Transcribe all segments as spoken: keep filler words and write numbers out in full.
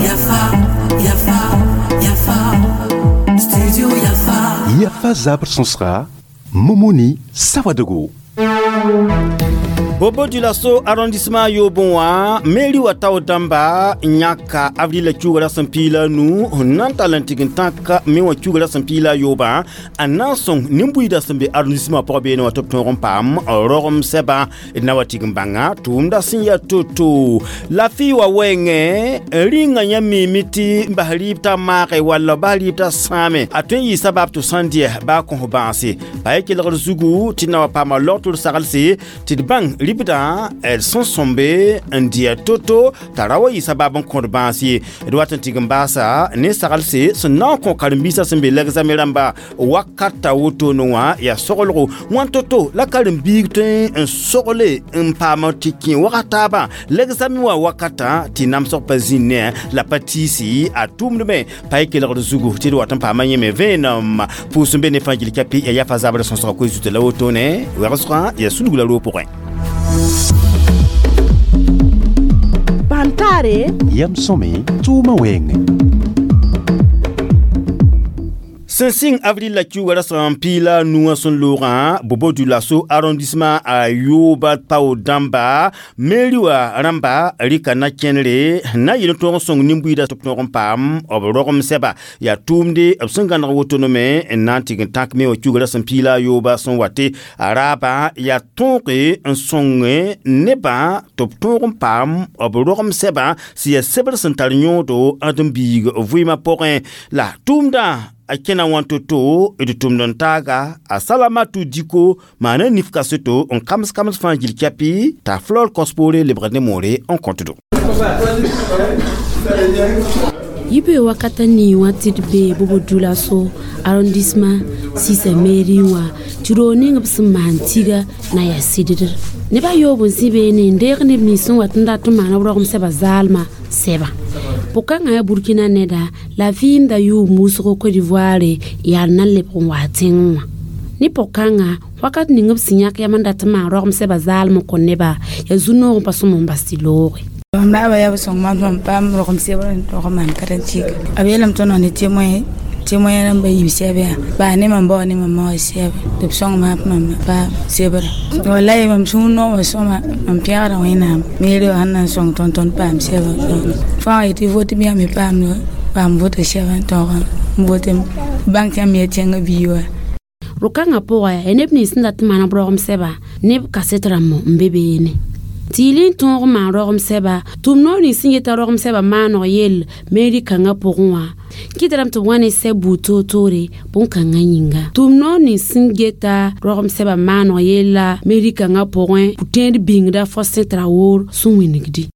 Yafa, Yafa, Yafa, Studio Yafa. Yafa zabr sõsga Momoni Sawadogo. Bobo Dioulasso arrondissement yoobẽ wã mairie wa tao dãmba yãka avril kiuga ra sẽn piig la a nu n na n tall n tɩg n tãk me wã kiuga ra sẽn piig la a yoobã n na n sõng nin-buiidã sẽn be arrondissement pʋgã beene wã tɩ b tõog n paam rogem sɛbã d na wa tɩg n bãnga tʋʋmda sẽn yaa to-to la fɩ wa wɛɛngẽ rĩngã yã miime tɩ n bas rɩɩb t'a maage walla bas rɩɩb t'a sãame a tõe n yɩ sabab tɩ sãn dɩ baa kõs bãase pa ye kelgr zugu tɩ na wa paama log tɩ d saglse tɩ d bãng ribdã d sẽn sõmbe n dɩ to-to t'a ra wa yɩ sabab n kõd bãas ye d wat n tɩg n baasa ne saglse sẽn na n kõ karen-biisã sẽn be l'examen rãmba wakata wotone wã yaa soglgo wãn to-to la karen-biig tõe n sogle n paam tɩ kẽ wagat taabã l'examen wã wakatã tɩ namsg pa zĩnd ne la pa tiisi a tʋʋmdme pa ye kelgd zugu tɩ d wat n paama yẽme vẽenem pʋʋs n be ne fãa gil kapi yaa yafa zabr sõsga koe zuta la wotone wegsgã yaa sulg la roog pʋgẽ. Bantare Yam sõme tʋʋmã wɛɛngẽ. Sẽn sɩng avril la kiuga ra sẽn piig la a nu wã sẽn loogã Bobo Dioulasso arrondissement a yooba pao dãmba mairie wã rãmba rɩka na-kẽnere na yɩl n tõog n sõng nin-buiidã tɩ b tõog n paam b rogem sɛba yaa tʋʋmde b sẽn gãneg wotone n na n tɩg n tãk me wã kiuga ra sẽn piig la a yooba sẽn wate a raabã yaa tõoge n sõng nebã tɩ b tõog n paam b rogem sɛbã sẽn yaa sebr sẽn tar yõodo ãdem-biig vɩɩmã pʋgẽ la tʋʋmdã a kẽna wã to-to d tʋmd n taaga a Salamatu Diko maana nif kaseto n kams kams fãa gil kɛpɩ t'a flor kos poore lebgd ne moore n kõtdo. Yibe wakata ni wã tɩ d bee Bobo Dioulasso arrondissement sisa mairie wã tɩ roog ning b sẽn maan tiga na yaa sɩddd neb a yoob n zĩ beene n deeg neb nins sẽn wat n dat n maan b rogem sɛba zaalmã sɛba pʋkãngã yaa Burkina neda la vɩɩmda yʋʋm wʋsgo Côte d'Ivoire yaa na n lebg n wa tẽngẽ wã ne pʋg-kãngã wakat ning b sẽn yãk yam n dat n maan rogem sɛba zaalm n kõ neba yaa zu-noog n pa sõm n bas tɩ looge. Mam raaba yaa b sõng maam tɩ mam paam rogem sebr n tog n maan karẽntiiga b yeelame tõnd ne témoin témoin rãmba yiib sɛb yaa baa ne mam bao ne mam ma wã sɛb tɩ b sõng maam tɩ mam paam sebrã wallahi mam sũur noogã sõma mam pẽgda Wẽnnaam mairie wã sẽn na n sõng tõnd tõnd paam sɛbã fãa yetɩ vote bɩ me paam paam vote sɛbã n tõog n vote bãng tɩ yãmb yaa tẽngã biig wa. Ro-kãngã pʋgã yaa neb nins sẽn dat n maan b rogem sɛba neb kaset rãmb n be beene tɩ yɩl n tõog n maan rogem sɛba tʋm noor nins sẽn yeta rogem sɛba maaneg yell mairie kãngã pʋgẽ wã kɩtrame tɩ b wa ne sɛb buud toor-toore bõn-kãngã yĩnga tʋm noor nins sẽn geta rogem sɛba maaneg yella mairie kãngã pʋgẽ pʋ-tẽed bĩngda Faustin Traoré sẽn wĩnigdi.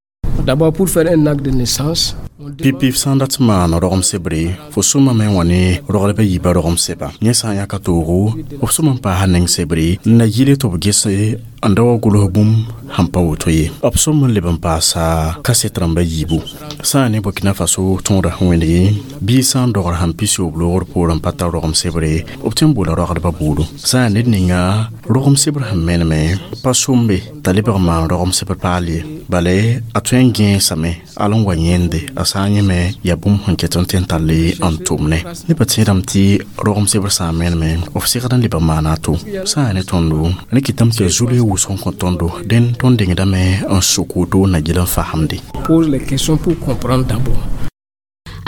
D'abord, pour faire un acte de naissance, pipi sã n dat n maan rogem sebre fo sõmame n wa ne rogdbã yiibã rogem sɛba yẽ sã n yãka toogo b sõm n paasa neng sebre n na yɩle tɩ b gese n da wa gʋls bũmb sẽn pa woto ye b sõm n leb n paasa kaset rãmbã yiibu sã n ne Burkina Faso tõoda sẽn wẽneg bɩ sã n dogr sẽn pis-yoob loogr poorẽ pa tar rogem sebre b tõe n boola rogdbã buudu sã n ned ninga rogem sebr sẽn meneme pa sombe t'a lebg n maan rogem sebr paal ye bala a tõe n gẽesame al n wa yẽnde a sã n yẽme yaa bũmb sẽn ket n tõe n tall n tʋmne nebã tẽedame tɩ rogem sebr sã n meneme b segd n leb n maana a to sã n yaa ne tõndo ne kɩtame tɩ yaa zulg wʋsg n kõ tõndo dẽn tõnd dengdame n sok woto na gil n fasemde. Pose les questions pour comprendre d'abord.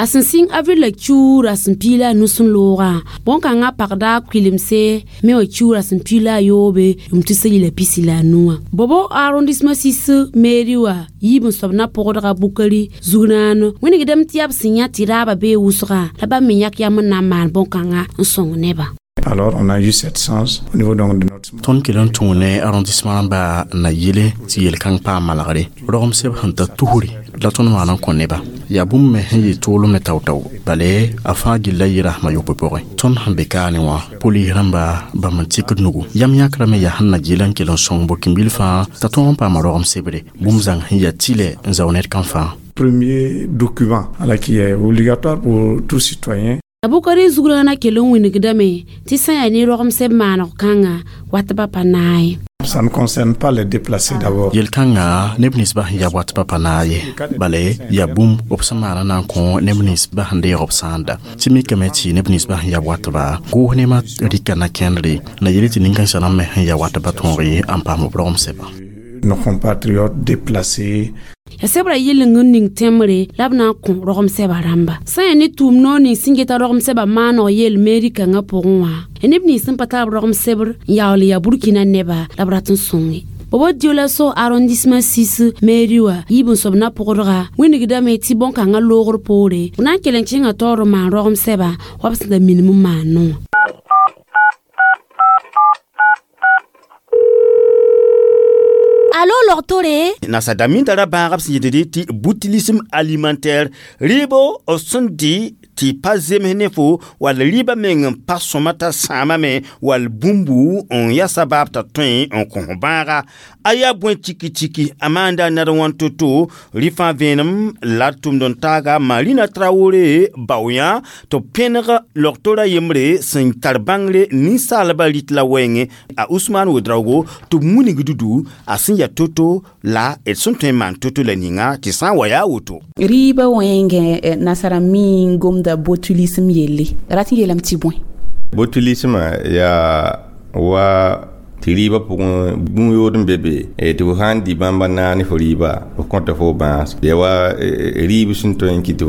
A sẽn sɩng avril la kiuura sẽn piig la a nu sẽn loogã bõn-kãngã pagda kʋɩlemse me wã kiuura sẽn piig la a yoobe yʋm tɩ yɩla pisi la a nuwã Bobo arrondissement sis mairie wã yiib n soab na pʋgdga Bukari zug-naano wĩnigdame tɩ yaa b sẽn yã tɩ raabã bee wʋsgã la bãmb me yãk yam n na n maan bõn-kãngã n sõng nebã. Alors, on a eu cette chance au niveau donc de notre... Tõnd kell n tũ ne arrondissement rãmba na yɩle tɩ yel-kãng paam malgre rogem seb sẽn ta tusri la tõnd maan n kõ neba yaa bũmb me sẽn yɩ tʋʋlem ne tao-tao bale a fãa gilla yɩ rasmã yopoe pʋgẽ tõnd sẽn be kaane wã polis rãmba bãmb n tikd nugu yam yãkrame yaa sẽn na gɩl n kell n sõng burkin-bil fãa t'a tõog n paama rogem sebre bũmb zãng sẽn yaa tɩlɛ n zao ned kam fãa. Premier document alors, qui est obligatoire pour tout citoyen. A Bukari zugrãna kell n wĩnigdame tɩ sã n yaa ne rogem sɛb maaneg kãngã wat ba pa naay. Ça ne concerne pas les déplacés d'abord. Yel-kãngã neb ninsbã sẽn ya watbã pa naag ye bale yaa bũmb b sẽn maana na n kõ neb ninsbã sẽn deeg b sãanda tɩ mikame tɩ neb ninsbã sẽn ya watba goos nemã rɩka na-kẽndre na yele tɩ nin-kãensã rãmb me sẽn ya watbã tõog ye n paam b rogem sɛba. Nos compatriotes déplacés. Ya sebra yɩleng n ning tẽmbre la b na n kõ rogem sɛba rãmba sã n yaa ne tʋʋm noor ning sẽn geta rogem sɛba maaneg yel meri kãngã pʋgẽ wã ya neb nins sẽn pa tar b rogem sebr n yaool n yaa Burkina neba la b rat n sõnge. Bobo Dioulasso arrondissement six mairie wã yiib n soab na-pʋgdga wĩnigdame tɩ bõn-kãngã loogr poore b na n kell n kẽngã taoor n maan rogem sɛba wa b sẽn da minim n maan wã. Alo logtore Nasada min tara bãagb sẽn yetd tɩ botulisme alimentaire rɩɩbo b sẽn dɩ tɩ pa zems ne fo wall rɩɩbã meng n pa sõma t'a sãamame wall bũmbu n yaa sabaab t'a tõe n kõs bãaga a yaa bõe tiki-tiki a maanda nad wãn to-to rɩ fãa vẽenem la d tʋmd n taaga Marina Traoré baoyã tɩ b pẽneg logtora yembre sẽn tar bãngre ninsaalbã rɩt la wɛɛngẽ a Ousmane Ouedraogo tɩ b wilg dudu a sẽn yaa to-to la d sẽn tõe n maan to-to la ninga tɩ sã n wa yaa woto. Rɩɩbã wẽngẽ nasara mi n gomda botulisme yelle rat n yeelame tɩ bõe? Botulismã yaa wa tɩ rɩɩbã pʋgẽ bũn-yood n be be tɩ fo sã n dɩ bãmba naag ne fo rɩɩba f kõta fo bãas yaa wa rɩɩb sẽn tõe n kɩ tɩ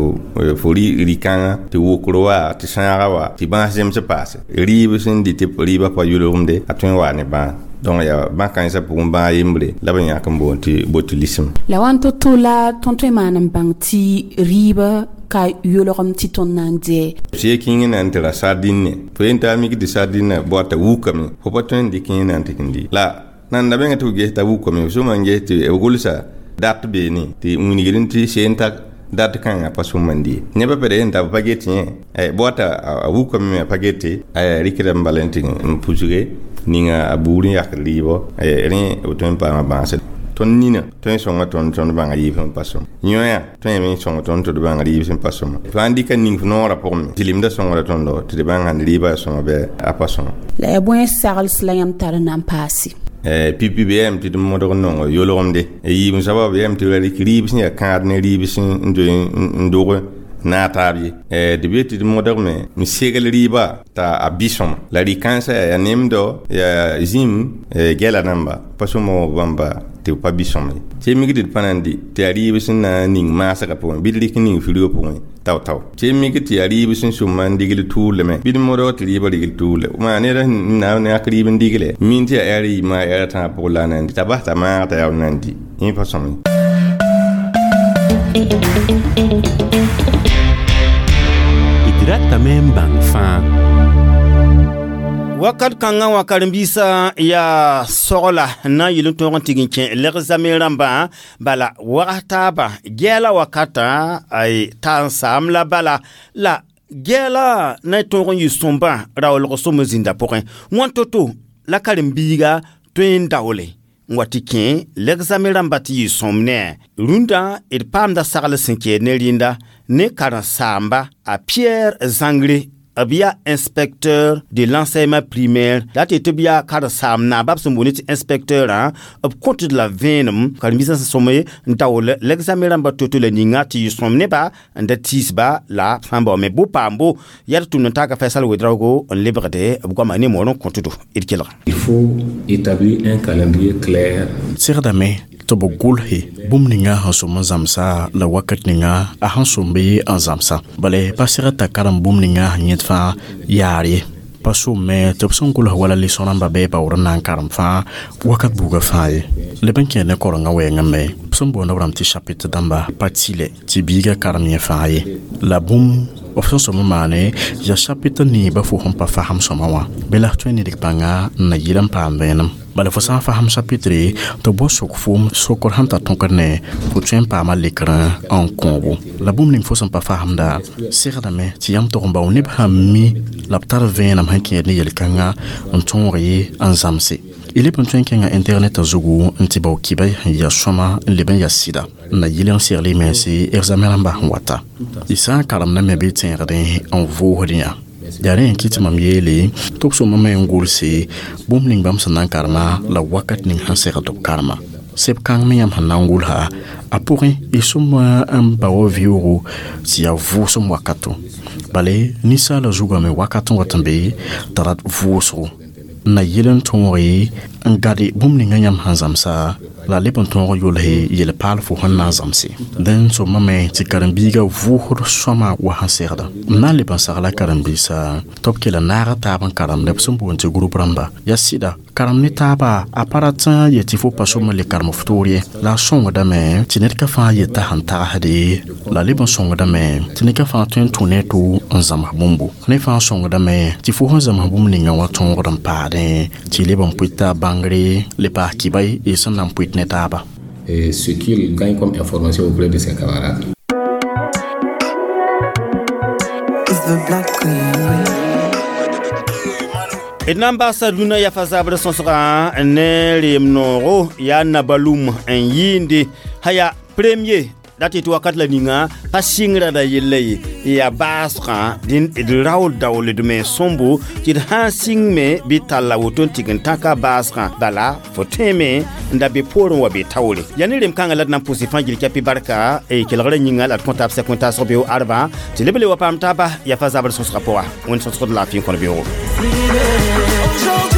fo rɩ-kãngã tɩ wokr wa tɩ sãaga wa tɩ bãas zems paase rɩɩb sẽn dɩ tɩ rɩɩbã pa yʋlgemde a tõe n waa ne bãas. Donc yaa bãn-kãensã pʋgẽ bãag yembre la b yãk n boond tɩ botulisme. La wãn to-to la tõnd tõe n maan n bãng tɩ rɩɩbã ka yolgem tɩ tõnd na n dɩ? Sɩ kẽng na n tɩ ra sardine fo yen t'a mik tɩ sardine bɔta wukame fo pa tõe n dɩk yẽ na n tɩ n dɩ la nan da bẽnga tɩ f ges t'a wukame f sõma n ges tɩ b gʋlsa dat beene tɩ wilgd tɩ seen ta dat kãngã pa sõma n dɩ nebã pd yen t'a b pa get yẽ bɔta a wukame me a pa gete rɩkda n bala n tɩ n pusge ninga a buur n yakd rɩɩbɔ rẽ b tõe n paama bãase. Tõnd nina tõe n sõnga tõnd tõnd bãnga rɩɩb sẽn pa sõm yõa tõe me n sõng tõnd tɩ d bãng rɩɩb sẽn pa sõma fãa n dɩka ning f noorã pʋgẽ me tɩ lemda sõngra tõndo tɩ d bãng sãn rɩɩbã yaa sõma bɩ a pa sõma. La yaa bõe sagls la yãmb tar n na n paase? P P B yam tɩ d modg n nongo yolgemde yiib n soaba b yam tɩ ra rɩk rɩɩb sẽn yaa kãad ne rɩɩb sẽn doe n dog na taab ye d be tɩ d modgme n segl rɩɩba t'a a bɩ sõma la rɩ-kãensã yaa nemdo yaa zĩm gɛla namba pa sõma bãmba tɩ b pa bɩ sõma ye tɩ mik tɩ d pa na n dɩ tɩ yaa rɩɩb sẽn na n ning maasgã pʋgẽ bɩ d rɩk ning firgã pʋgẽ tao-tao tɩ mik tɩ yaa rɩɩb sẽn sʋma n digl tʋʋlmẽ bɩ d modg tɩ rɩɩbã rigl tʋʋle maa ned sẽn na n yãk rɩɩb n digle min tɩ yaa ɛr yiibã ɛr tãag pʋgẽ la a na n dɩ t'a bas t'a maag t'a yaa na n dɩ yẽ pa sõma ye. D ratame n bãng fãa. Wakat kãngã wã karen-biisã yaa sogla n na n yɩl n tõog n tig n kẽ lg-zame rãmbã bala wags taabã gɛɛla wakatã t'a n saam la bala la gɛɛla na n tõog n yɩ sõmbã raoolg sõm n zĩnda pʋgẽ wãn to-to la karen-biiga tõe n daoole n wa tɩ kẽ lg-zame rãmbã tɩ yɩ sõm ne rũndã d paamda sagl sẽn kɛɛd ne rĩnda ne karen-saamba a Pierre Zangré b yaa inspecteur de l'enseignement primaire la tɩ tɩ b yaa karen-saam naaba b sẽn boond tɩ inspecteurã b kõtd la vẽenem karen-biisã sẽn sõm n daool l'examen rãmbã to-to la ninga tɩ yɩ sõm nebã n da tiisba la sã n baoome bo paambo yaa d tʋmd n taaka Faisal Ouedraogo n lebgde b goama ne moor n kõtdo d kelg. Il faut établir un calendrier clair. Segdame tɩ b gʋlse bũmb ninga sẽn sõm n zãmsa la wakat ninga a sẽn sõm bɩ n zãmsa bala pa segd t'a karem bũmb ninga sẽn yẽd fãa yaar ye pa somme tɩ b sẽn gʋls wala leso rãmba bɩ baoor n na n karem fãa wakat buugã fãa ye leb n kẽer ne korengã wɛɛngã me b sẽn boond b rãmb tɩ chapitre dãmba pa tɩlɛ tɩ biigã karem yẽ fãa ye la bũmb b sẽn sõm n maane yaa chapitre niibã fo sẽn pa fasem sõma wã bɩ la f tõe n nidg bãnga n na yɩl n paam vẽenem bala fo sã n fasem chapitre tɩ b bao sok foom sokr sẽn tar tõkd ne fo tõe n paama lekrẽ n kõobo la bũmb ning fo sẽn pa fasemda segdame tɩ yãmb tog n bao neb sãn mi la b tar vẽenem sẽn kẽed ne yel-kãngã n tõog ye n zãmse y leb n tõe n kẽngã internet zugu n tɩ bao kibã sẽn ya sõma n leb n ya sɩda n na yɩl n segl y mense examen rãmbã sẽn wata y sã n karemda me bɩ tẽegdẽ n voosd yã Yaa rẽ n kɩ tɩ mam yeele tɩ b sõmame n gʋlse bũmb ning bãmb sẽn na n karema la wakat ning sẽn segd tɩ b karema. Seb kãng me yãmb sẽn na n gʋlsa a pʋgẽ y sõm n ba wa vɩʋʋgo tɩ yaa vʋʋsem wakato. Bale ninsaala zugame wakat n wat n be t'a rat vʋʋsgo n na yel n tõoge n gade bũmb ninga yãmb sẽn zãmsa la leb n tõog yʋls yel-paal fo sẽn na n zãmse. Dẽn sõmame tɩ karen-biigã vʋʋsd sõama wa sẽn segda. M na n leb n sagla karen-biisã tɩ b kell n naag taab n karemd b sẽn boond tɩ group rãmba. Yaa sɩda karem ne taaba a pa rat n yet tɩ fo pa sõm n le karem f toor ye. La a sõngdame tɩ ned ka fãa yeta sẽn tagsde la leb n sõngdame tɩ ned ka fãa tõe n tũ ne to n zãms bũmbo. Ne fãa sõngdame tɩ fo sẽn zãms bũmb ninga wã tõogd n paadẽ tɩ leb n pʋɩ bãngre le paas kɩba y sẽn na n pʋɩt ne taaba. Et ce qu'il gagne comme information auprès de ses camarades. D na n basa dũnã yafa zabr sõsgã ne reem noogo yaa nabalum n yɩɩnde sã yaa premier dat tɩ wakat la ninga pa sɩngrã da yella ye yaa baasgã dẽn d raool daooldme sõmbo tɩ d sã n sɩng me bɩ talla woto n tɩg n tãka baasgã bala fo tõeme n da be poorẽ wa be taoore yaa ne rem-kãngã la d na n pʋse fãa gil kɛpɩ barka kelgrã yĩnga la d kõ taab sɛk wẽn-taasg beoog arbã tɩ leb le wa paam taaba yafa zabr sõsgã pʋga wẽnd sõsgd laafɩ n kõn beoogo. Aujourd'hui